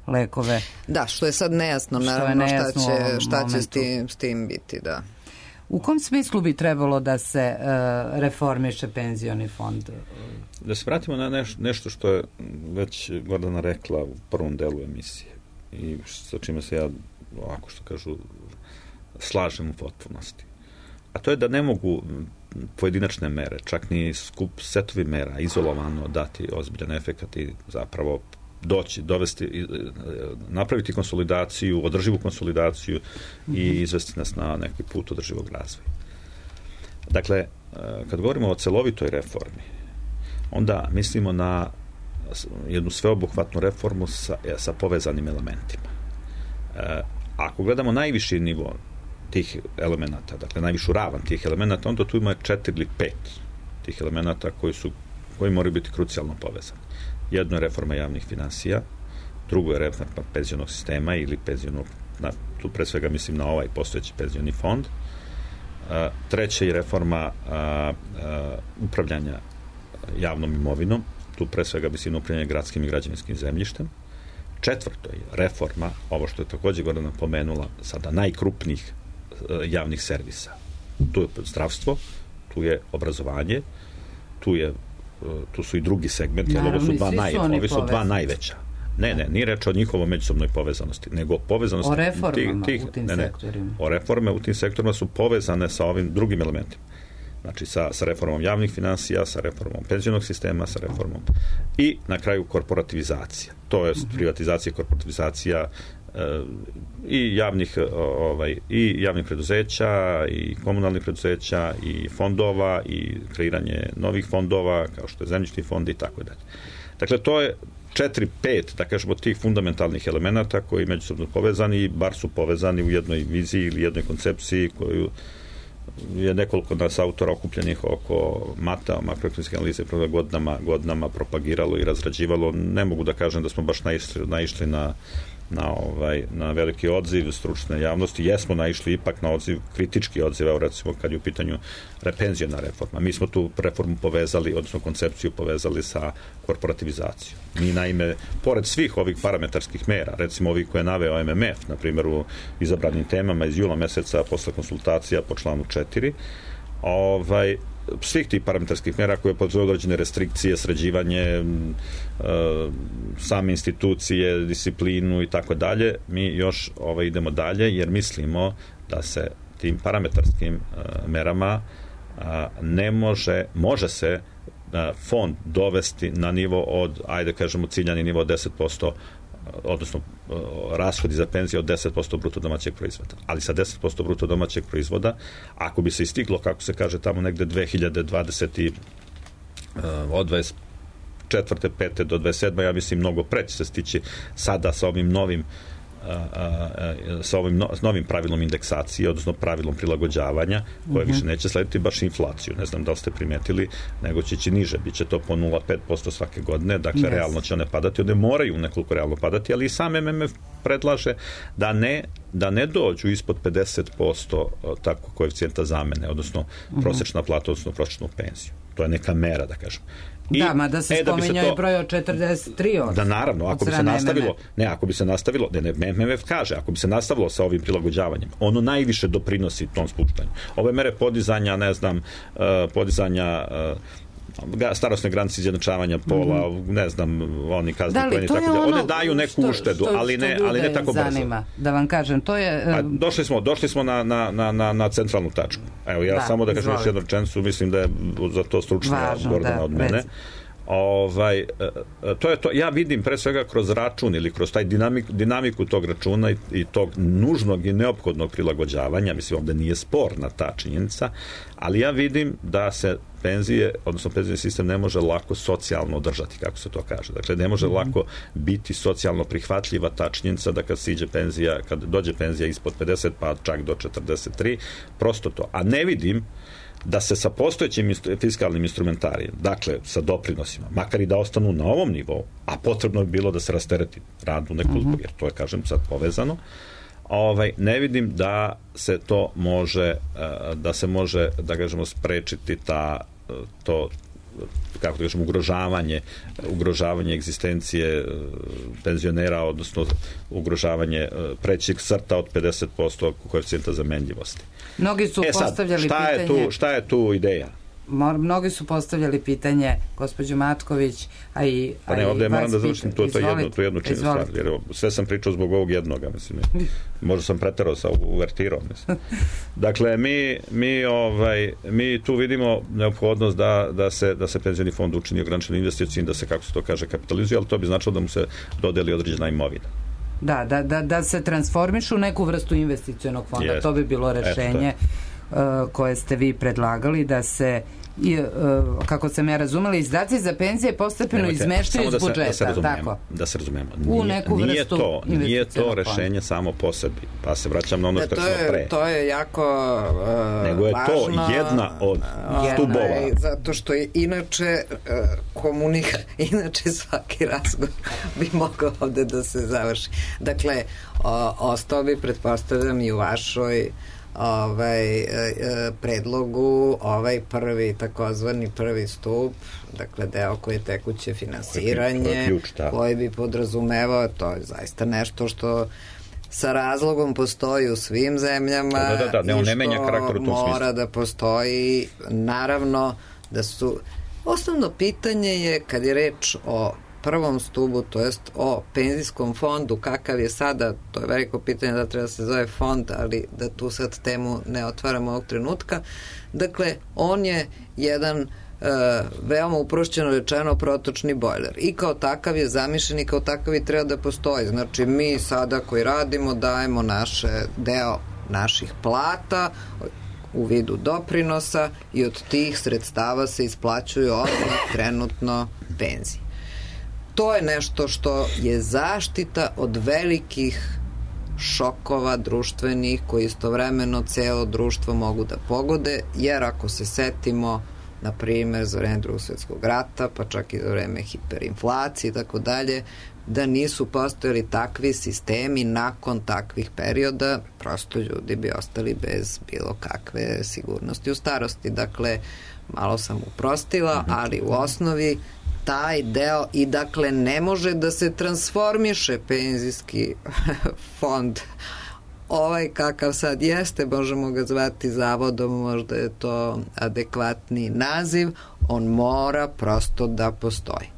S1: lekove.
S2: Da, što je sad nejasno, naravno, šta će s tim biti, da.
S1: U kom smislu bi trebalo da se reformiše penzioni fond?
S3: Da se vratimo na nešto što je već Gordana rekla u prvom delu emisije i sa čime se ja, ovako što kažu, slažem u potpunosti. A to je da ne mogu pojedinačne mere, čak ni skup setovi mera, izolovano dati ozbiljan efekat i zapravo dovesti, napraviti konsolidaciju, održivu konsolidaciju i izvesti nas na neki put održivog razvoja. Dakle, kad govorimo o celovitoj reformi, onda mislimo na jednu sveobuhvatnu reformu sa povezanim elementima. Ako gledamo najviši nivo tih elemenata, dakle najvišu ravan tih elemenata, onda tu ima 4 ili 5 tih elemenata koji moraju biti krucijalno povezani. Jedno je reforma javnih finansija, drugo je reforma penzionog sistema ili penzionog, tu pre svega mislim na ovaj postojeći penzioni fond, treće je reforma upravljanja javnom imovinom, tu pre svega mislim na upravljanje gradskim i građevinskim zemljištem, četvrto je reforma, ovo što je također Gordana pomenula, sada najkrupnijih javnih servisa. Tu je zdravstvo, tu je obrazovanje, tu su i drugi segmenti, ali ovi su dva najveća. Ne, nije reč o njihovom međusobnoj povezanosti, nego povezanosti...
S1: O reformama u tim sektorima.
S3: O reforme u tim sektorima su povezane sa ovim drugim elementima. Znači, sa reformom javnih finansija, sa reformom penzionog sistema, sa reformom i na kraju korporativizacija. To je privatizacija, korporativizacija i javnih preduzeća i komunalnih preduzeća i fondova i kreiranje novih fondova kao što je zemljišni fond i tako dalje. Dakle, to je 4-5, da kažemo, tih fundamentalnih elemenata koji međusobno povezani i bar su povezani u jednoj viziji ili jednoj koncepciji koju je nekoliko nas autora okupljenih oko MATA, makroekonomske analize, godinama propagiralo i razrađivalo. Ne mogu da kažem da smo baš naišli na veliki odziv stručne javnosti. Jesmo naišli ipak na odziv, kritički odziv, recimo kad je u pitanju penziona reforma. Mi smo tu reformu povezali, odnosno koncepciju povezali sa korporativizacijom. Mi naime, pored svih ovih parametarskih mera, recimo ovih koje je naveo MMF, na primjer u izabranim temama iz jula meseca posle konsultacija po članu 4, svih tih parametarskih mera koje podrazumevaju određene restrikcije, sređivanje same institucije, disciplinu i tako dalje, mi još idemo dalje jer mislimo da se tim parametarskim merama može se fond dovesti na nivo od, ajde kažemo, ciljani nivo od 10%, odnosno rashodi za penzije od 10% bruto domaćeg proizvoda. Ali sa 10% bruto domaćeg proizvoda, ako bi se istiglo, kako se kaže, tamo negde 2020 od 24. 5. do 27. ja mislim mnogo preći se stići sada sa ovim novim sa ovim novim pravilom indeksacije, odnosno pravilom prilagođavanja, koje više neće slediti baš inflaciju. Ne znam da li ste primetili, nego će ići niže. Biće to po 0,5% svake godine, dakle realno će one padati. One moraju nekoliko realno padati, ali i sam MMF predlaže da ne dođu ispod 50% tako koeficijenta zamene, odnosno prosječna plata, odnosno prosječnu penziju. To je neka mera, da kažem.
S1: Da se spominjao i broj od 43%.
S3: Da, naravno, ako bi se nastavilo, MMF kaže, ako bi se nastavilo sa ovim prilagođavanjem, ono najviše doprinosi tom spuštanju. Ove mere podizanja, starosne granice izjednačavanja pola, ne znam, oni kazni pojeni, tako da, one daju neku uštedu, ali ne tako brzo.
S1: Da vam kažem, to je...
S3: Došli smo na centralnu tačku. Evo, ja samo da kažem još jednu rečenicu, mislim da je za to stručnija Gordana od mene. To je to, ja vidim pre svega kroz račun ili kroz taj dinamiku tog računa i tog nužnog i neophodnog prilagođavanja, mislim ovdje nije sporna ta činjenica, ali ja vidim da se penzije, odnosno penzijski sistem ne može lako socijalno održati, kako se to kaže. Dakle, ne može lako biti socijalno prihvatljiva ta činjenica da kad dođe penzija ispod 50 pa čak do 43, prosto to. A ne vidim da se sa postojećim fiskalnim instrumentarijem, dakle sa doprinosima, makar i da ostanu na ovom nivou, a potrebno bi bilo da se rastereti radu nekoliko, jer to je, kažem, sad povezano, ne vidim da se to može, da kažemo, sprečiti to kako da kažem, ugrožavanje egzistencije penzionera, odnosno ugrožavanje prećeg crta od 50% koeficijenta zamenljivosti.
S1: Mnogi su postavljali pitanje...
S3: Šta je tu ideja?
S1: Mnogi su postavljali pitanje, gospođo Matković, a i
S3: ovdje moram da završim tu jednu činjenicu stvar, jer sve sam pričao zbog ovog jednoga, mislim. Možda sam preterao sa uvertirom, mislim. Dakle, mi tu vidimo neophodnost da se penzioni fond učini ograničeno investicijom, da se, kako se to kaže, kapitalizuje, ali to bi značilo da mu se dodeli određena imovina.
S1: Da se transformišu u neku vrstu investicionog fonda. To bi bilo rešenje koje ste vi predlagali, da se, kako sam ja razumela, izdaci za penzije postepeno izmeštaju iz budžeta.
S3: Da se razumemo.
S1: U neku vrstu
S3: nije to rešenje samo po sebi. Pa se vraćam na ono što smo pre.
S2: To je jako
S3: nego je to jedna od stubova.
S2: Zato što je inače inače svaki razgovor bi mogao ovde da se završi. Dakle, ostao bi, pretpostavljam, i u vašoj predlogu takozvani prvi stup, dakle deo koji je tekuće finansiranje, koji bi podrazumevao, to je zaista nešto što sa razlogom postoji u svim zemljama i što mora da postoji. Naravno da su, osnovno pitanje je, kad je reč o prvom stubu, to jest o penzijskom fondu, kakav je sada, to je veliko pitanje da treba se zove fond, ali da tu sad temu ne otvaramo ovog trenutka. Dakle, on je jedan veoma uprošćeno rečeno protočni bojler i kao takav je zamišljen i kao takav i treba da postoji. Znači, mi sada koji radimo dajemo deo naših plata u vidu doprinosa i od tih sredstava se isplaćuju odmah trenutno penzije. To je nešto što je zaštita od velikih šokova društvenih koji istovremeno celo društvo mogu da pogode, jer ako se setimo, na primjer, za vreme Drugog svjetskog rata, pa čak i za vreme hiperinflacije i tako dalje, da nisu postojali takvi sistemi nakon takvih perioda, prosto ljudi bi ostali bez bilo kakve sigurnosti u starosti. Dakle, malo sam uprostila, ali u osnovi taj deo, i dakle ne može da se transformiše penzijski fond kakav sad jeste, možemo ga zvati zavodom, možda je to adekvatni naziv, on mora prosto da postoji.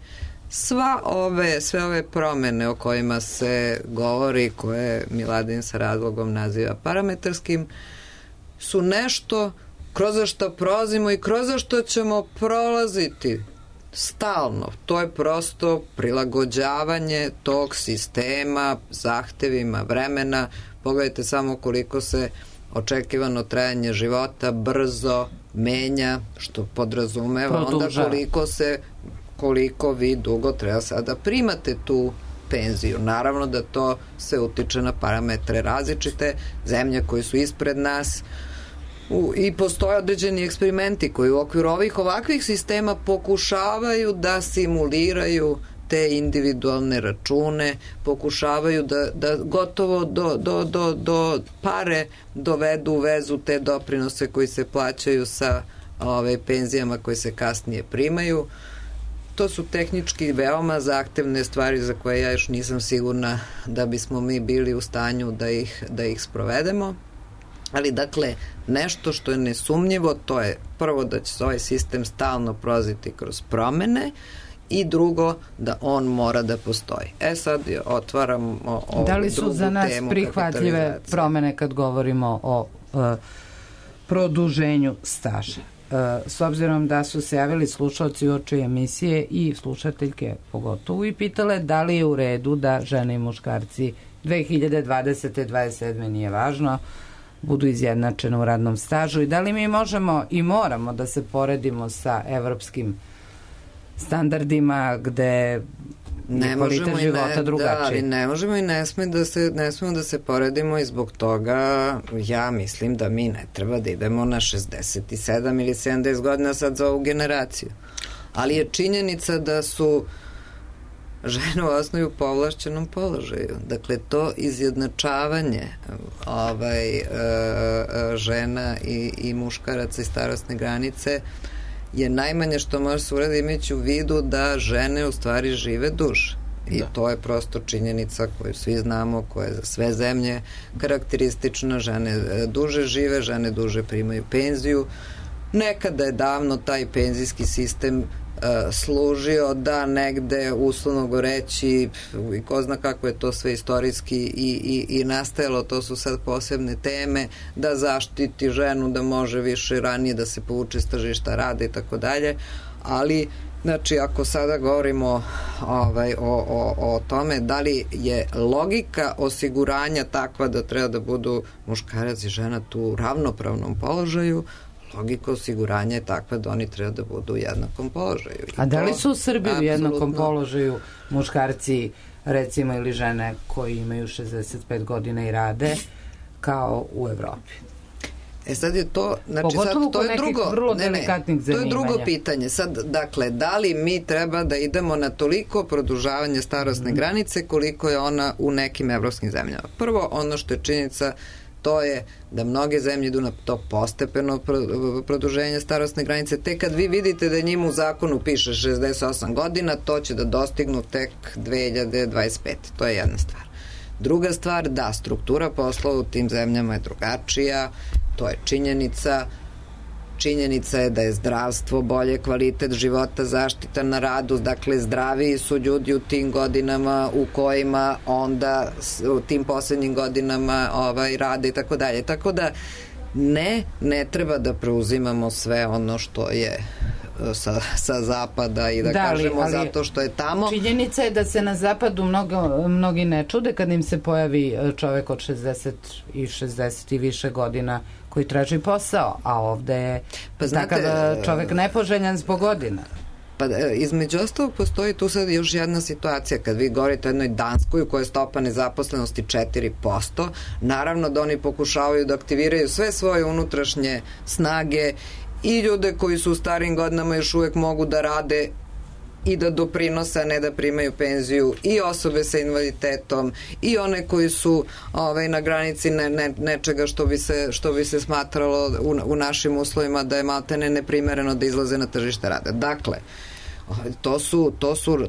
S2: Sve ove promene o kojima se govori, koje Miladin sa razlogom naziva parametarskim, su nešto kroz što prolazimo i kroz što ćemo prolaziti stalno. To je prosto prilagođavanje tog sistema zahtevima vremena. Pogledajte samo koliko se očekivano trajanje života brzo menja, što podrazumeva onda koliko vi dugo treba sada primate tu penziju. Naravno da to se utiče na parametre različite, zemlje koje su ispred nas i postoje određeni eksperimenti koji u okviru ovakvih sistema pokušavaju da simuliraju te individualne račune, pokušavaju da gotovo do pare dovedu u vezu te doprinose koji se plaćaju sa penzijama koje se kasnije primaju. To su tehnički veoma zahtevne stvari za koje ja još nisam sigurna da bismo mi bili u stanju da ih sprovedemo. Ali dakle, nešto što je nesumnjivo, to je prvo da će se ovaj sistem stalno prolaziti kroz promene i drugo da on mora da postoji. Sad otvaramo ovu drugu temu.
S1: Da li su za nas prihvatljive promene kad govorimo o produženju staža? S obzirom da su se javili slušalci uoči emisije i slušateljke pogotovo i pitale da li je u redu da žene i muškarci 2020. 27. nije važno, budu izjednačene u radnom stažu i da li mi možemo i moramo da se poredimo sa evropskim standardima gde je kvalitet života drugačiji.
S2: Ne možemo i ne smemo da se poredimo i zbog toga ja mislim da mi ne treba da idemo na 67 ili 70 godina sad za ovu generaciju. Ali je činjenica da su žene u osnovi u povlašćenom položaju. Dakle, to izjednačavanje žena i muškaraca i starosne granice je najmanje što može se uraditi imajući u vidu da žene u stvari žive duže. I to je prosto činjenica koju svi znamo, koja je za sve zemlje karakteristična. Žene duže žive, žene duže primaju penziju. Nekada je davno taj penzijski sistem služio da negde, uslovno goreći, i ko zna kako je to sve istorijski i nastajalo, to su sad posebne teme, da zaštiti ženu, da može više ranije da se povuče s tržišta rada i tako dalje, ali znači ako sada govorimo o tome da li je logika osiguranja takva da treba da budu muškarac i žena tu u ravnopravnom položaju, logika osiguranja je takva da oni treba da budu u jednakom položaju.
S1: A da li su u Srbiji u jednakom položaju muškarci, recimo, ili žene koji imaju 65 godina i rade kao u Evropi?
S2: Sad je to, znači
S1: pogotovo
S2: sad to je drugo,
S1: vrlo delikatnih zanimanja.
S2: To je drugo pitanje. Sad, dakle, da li mi treba da idemo na toliko produžavanje starosne granice koliko je ona u nekim evropskim zemljama? Prvo, ono što je činjenica, to je da mnoge zemlje idu na to postepeno produženje starosne granice. Tek kad vi vidite da njima u zakonu piše 68 godina, to će da dostignu tek 2025. To je jedna stvar. Druga stvar, da, struktura poslova u tim zemljama je drugačija, to je činjenica. Činjenica je da je zdravstvo bolje, kvalitet života, zaštita na radu, dakle zdraviji su ljudi u tim godinama u kojima onda u tim poslednjim godinama rade i tako dalje. Tako da ne treba da preuzimamo sve ono što je sa zapada i da kažemo zato što je tamo.
S1: Činjenica je da se na zapadu mnogi ne čude kad im se pojavi čovek od 60 i više godina koji traži posao, a ovde je takav čovek nepoželjan zbog godina.
S2: Pa između ostalog postoji tu sad još jedna situacija kad vi govorite o jednoj Danskoj u kojoj je stopa nezaposlenosti 4%, naravno da oni pokušavaju da aktiviraju sve svoje unutrašnje snage i ljude koji su u starijim godinama još uvek mogu da rade i da doprinose, a ne da primaju penziju, i osobe sa invaliditetom i one koji su na granici nečega što bi se smatralo u našim uslovima da je maltene neprimereno da izlaze na tržište rada. Dakle,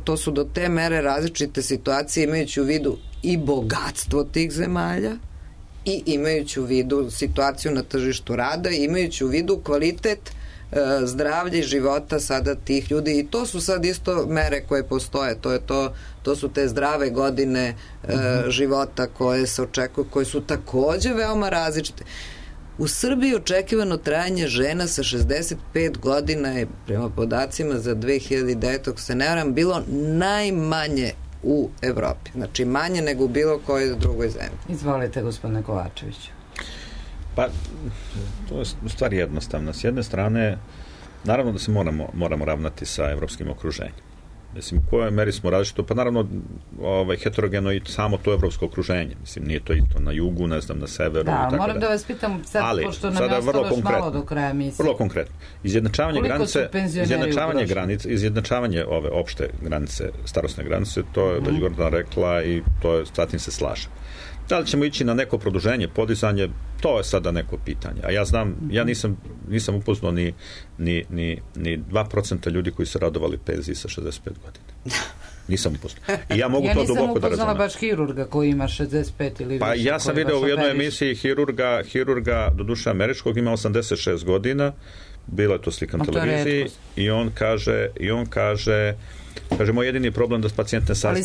S2: to su do te mere različite situacije imajući u vidu i bogatstvo tih zemalja i imajući u vidu situaciju na tržištu rada i imajući u vidu kvalitet zdravlja i života sada tih ljudi i to su sad isto mere koje postoje, to su te zdrave godine života koje se očekuju, koje su takođe veoma različite. U Srbiji očekivano trajanje žena sa 65 godina je prema podacima za 2009. ako se ne varam bilo najmanje u Evropi. Znači manje nego u bilo kojoj drugoj zemlji.
S1: Izvolite, gospodine Kovačeviću.
S3: Pa, to je stvar jednostavna. S jedne strane, naravno da se moramo ravnati sa evropskim okruženjem. Mislim, u kojoj meri smo različito? Pa naravno, heterogeno i samo to evropsko okruženje. Mislim, nije to isto na jugu, ne znam, na severu.
S1: Da,
S3: i tako
S1: moram da vas pitam sad,
S3: ali,
S1: pošto nam je ostalo još malo do kraja emisije.
S3: Vrlo konkretno. Izjednačavanje ove opšte granice, starosne granice, to je već Gordana rekla i to je, s tim se slažem. Da li ćemo ići na neko produženje, podizanje, to je sada neko pitanje. A ja znam, ja nisam upoznao ni 2% ljudi koji su radovali penziji sa 65 godina. Nisam upoznao. I ja mogu to duboko da razumem. Ja nisam
S1: upoznala baš hirurga koji ima 65 ili više.
S3: Pa ja sam video u jednoj emisiji hirurga doduše američkog, ima 86 godina, bila je to slika na televiziji i on kaže moj jedini problem da pacijent ne sazna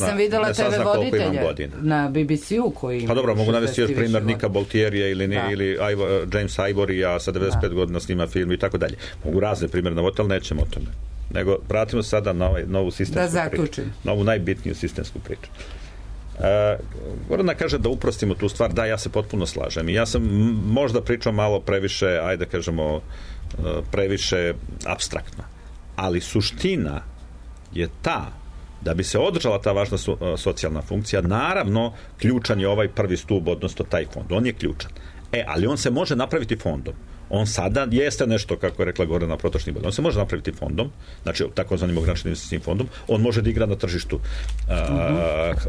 S3: koliko imam godina.
S1: Na BBC-u koji ima.
S3: Pa dobro, mogu navesti još primjer Nika Boltierija ili James Ivorya sa 95 godina snima film i tako dalje. Mogu razne primjere navoti, ali nećemo o tome. Nego vratimo sada na novu sistemsku priču. Novu najbitniju sistemsku priču. Gordana kaže da uprostimo tu stvar. Da, ja se potpuno slažem. I ja sam možda pričao malo previše, ajde kažemo, previše apstraktno. Ali suština je ta da bi se održala ta važna socijalna funkcija, naravno ključan je ovaj prvi stup, odnosno taj fond. On je ključan. Ali on se može napraviti fondom. On sada jeste nešto, kako je rekla Gordana, protočni bod. On se može napraviti fondom, znači takozvanim ograničenim investicijskim fondom. On može da igra na tržištu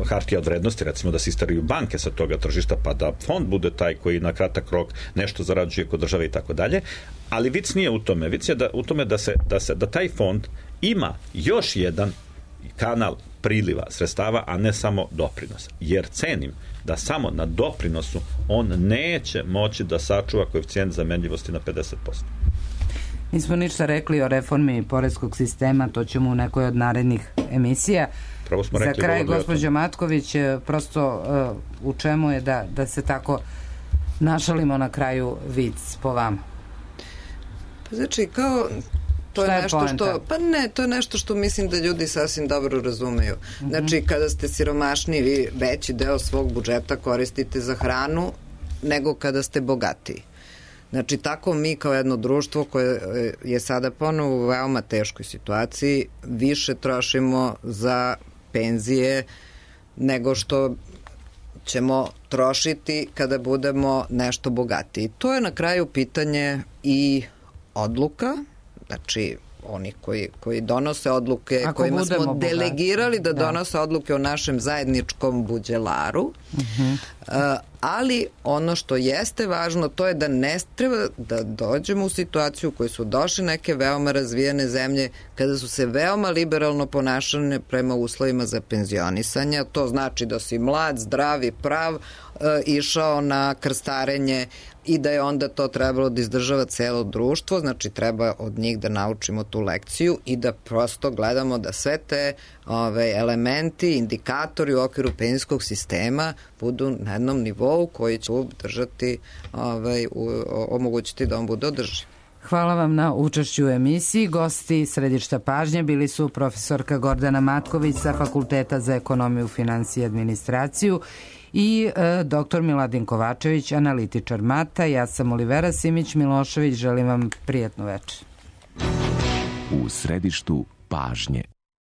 S3: hartija od vrednosti, recimo da se istaraju banke sa toga tržišta, pa da fond bude taj koji na kratak rok nešto zarađuje kod države i tako dalje. Ali vic nije u tome. Vic je u tome da taj fond ima još jedan kanal priliva sredstava, a ne samo doprinosa. Jer cenim da samo na doprinosu on neće moći da sačuva koeficijent zamenljivosti na 50%.
S1: Nismo ništa rekli o reformi poreskog sistema, to ćemo u nekoj od narednih emisija. Za kraj, gospođo Matković, prosto u čemu je da se tako našalimo na kraju vic po vama?
S2: Znači, kao to je nešto što, pa ne, to je nešto što mislim da ljudi sasvim dobro razumeju. Znači, kada ste siromašni, vi veći deo svog budžeta koristite za hranu nego kada ste bogatiji. Znači, tako mi kao jedno društvo koje je sada ponovo u veoma teškoj situaciji, više trošimo za penzije nego što ćemo trošiti kada budemo nešto bogatiji. To je na kraju pitanje i odluka, znači oni koji donose odluke, kojima smo delegirali da donose odluke o našem zajedničkom buđelaru, ali ono što jeste važno, to je da ne treba da dođemo u situaciju u kojoj su došle neke veoma razvijene zemlje, kada su se veoma liberalno ponašane prema uslovima za penzionisanje. To znači da si mlad, zdrav i prav išao na krstarenje i da je onda to trebalo da izdržava celo društvo, znači treba od njih da naučimo tu lekciju i da prosto gledamo da sve te elementi, indikatori u okviru penzijskog sistema budu na jednom nivou koji će držati, omogućiti da on bude održiv.
S1: Hvala vam na učešću u emisiji. Gosti središta pažnje bili su profesorka Gordana Matković sa Fakulteta za ekonomiju, finansije i administraciju i dr. Miladin Kovačević, analitičar MATA. Ja sam Olivera Simić-Milošević. Želim vam prijatnu večer.
S13: U središtu pažnje.